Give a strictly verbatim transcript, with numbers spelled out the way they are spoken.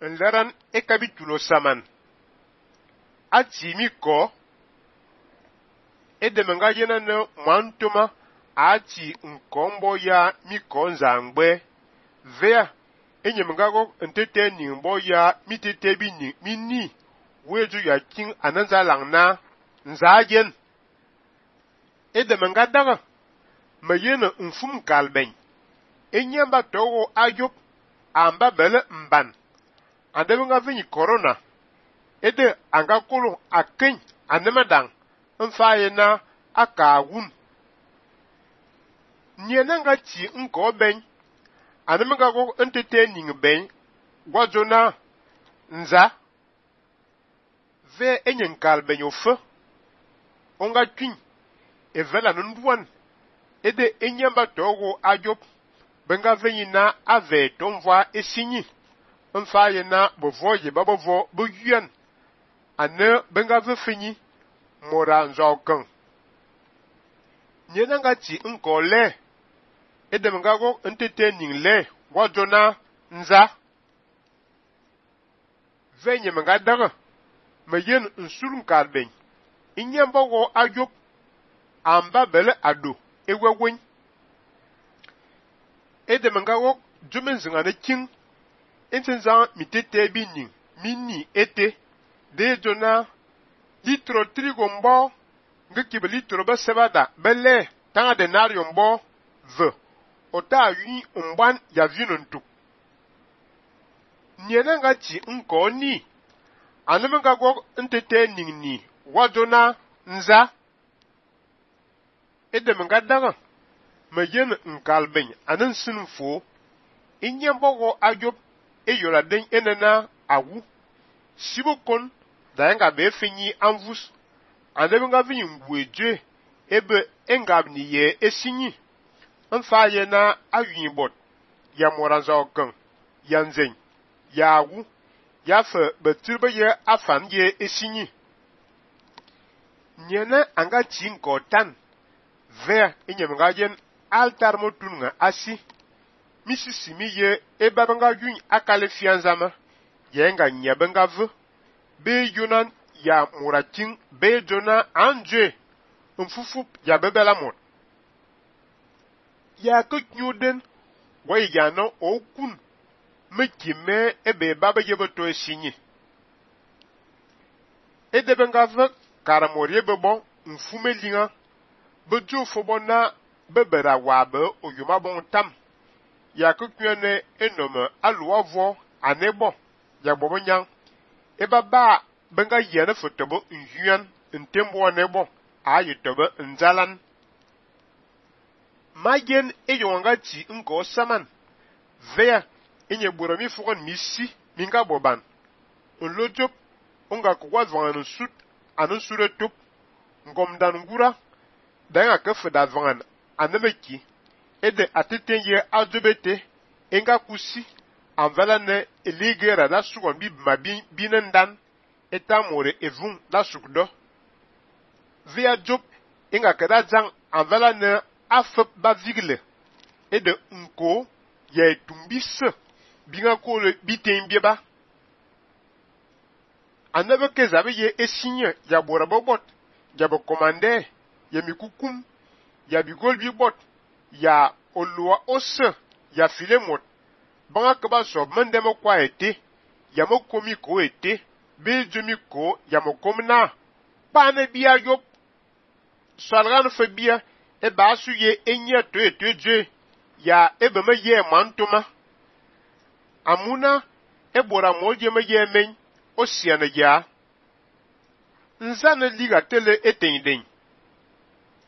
Nleran ekabitulo saman. Ati mi ko. Edemenga yena ne mwantoma ati nkombo ya mi ko nzangbe. Vea enyemenga go ntete nimbo ya mi tete bi ni mini. Weju ya king ananza langna nzagen. Edemenga daga mayena nfum kalben. Enyamba togo ayop amba bele mban. Andemenga vini corona. Ede anga kolo akin anemadang mfaye na aka wun. Nyenanga ti nko ben. Anemenga go ntete ning ben. Wajona nza. Ve enyen kalben yo fe. Onga twin. Evela nunduan. Ede enyamba togo ayop. Benga veni na ave tomva esinyi. Mfaye na bovoye babovo boyuan. Ane benga ve fini. Mora nzokan. Nyenanga ti nko le. Ede menga go ntete ning le. Wajona nza. Venye menga daga. Meyen nsurun kalben. Inyamba go ayop. Amba bele ado. Ewe wen. Ede menga go jumen zingane king. Intenzan mi tete bi ning. Mini ete. De jona. Litro trigo mbo. Nge kibe litro ba sebada. Bele. Tanga denario mbo. Ve. Ota yu umban ya vino ntuk. Nyenanga ti nko ni. Anemenga go ntete ning ni. Wajona nza. Ede menga daga. Meyen nkalben. Anen sinfo. Inyambo go ayop. E yola den enena awu. Sibo kon. Dayenga be finyi anvus. Anemenga vini ngweje. Ebe engab ni ye esinyi. Mfaye na ayun bot. Ya moranza okan. Ya nzen. Ya awu. Ya fe betirbe ye afan ye esinyi. Nyene anga chinko tan. Ver enyemenga yen altar motunga asi. Misisimi ye ebabenga yun akale fianzama. Ye nga nyabenga ve. Be yonan ya muraking. Be jona anje. Mfufup ya bebela mot. Ya kut nyuden. Waye yana okun. Mekime ebe baba yeboto esinyi. Edebenga ve karamorye bebo mfume linga. Bejo fobona bebera wabe oyuma bon tam. Ya kukyene enome aluwa vo anebo. Ya bobo nyang. Eba ba benga yene fotobo nyuan ntembo anebo. Aye tobe nzalan. Magen eyonga ti nko saman. Vea enye burami fugon misi minga boban. Onlojop onga kwa zwangan sut anon sure top. Ngomdan ngura. Danga kefeda zwangan anemeki. Ede atetenye azobete. Enga kusi. Anvala ne eligera la sugon bi mabin binendan. Etamore evun la sukdo. Via job enga kada zang anvala ne afep ba vigle. Ede nko ya etumbise. Binga kole biten bieba. Anebe kezabe ye esinye ya borabobot. Ya bo komande. Ya mikukum. Ya bigol bibot. Ya olua ose. Ya filemot. Banga keba sob mendemo kwa ete. Ya mo komi ko ete. Be jomi ko ya mo komna. Pane biya yop. Salgan fe biya. E basu ye enye to ete je. Ya ebe me ye mantoma. Amuna ebora molje me ye men. Osiane ya. Nzane liga tele etenden.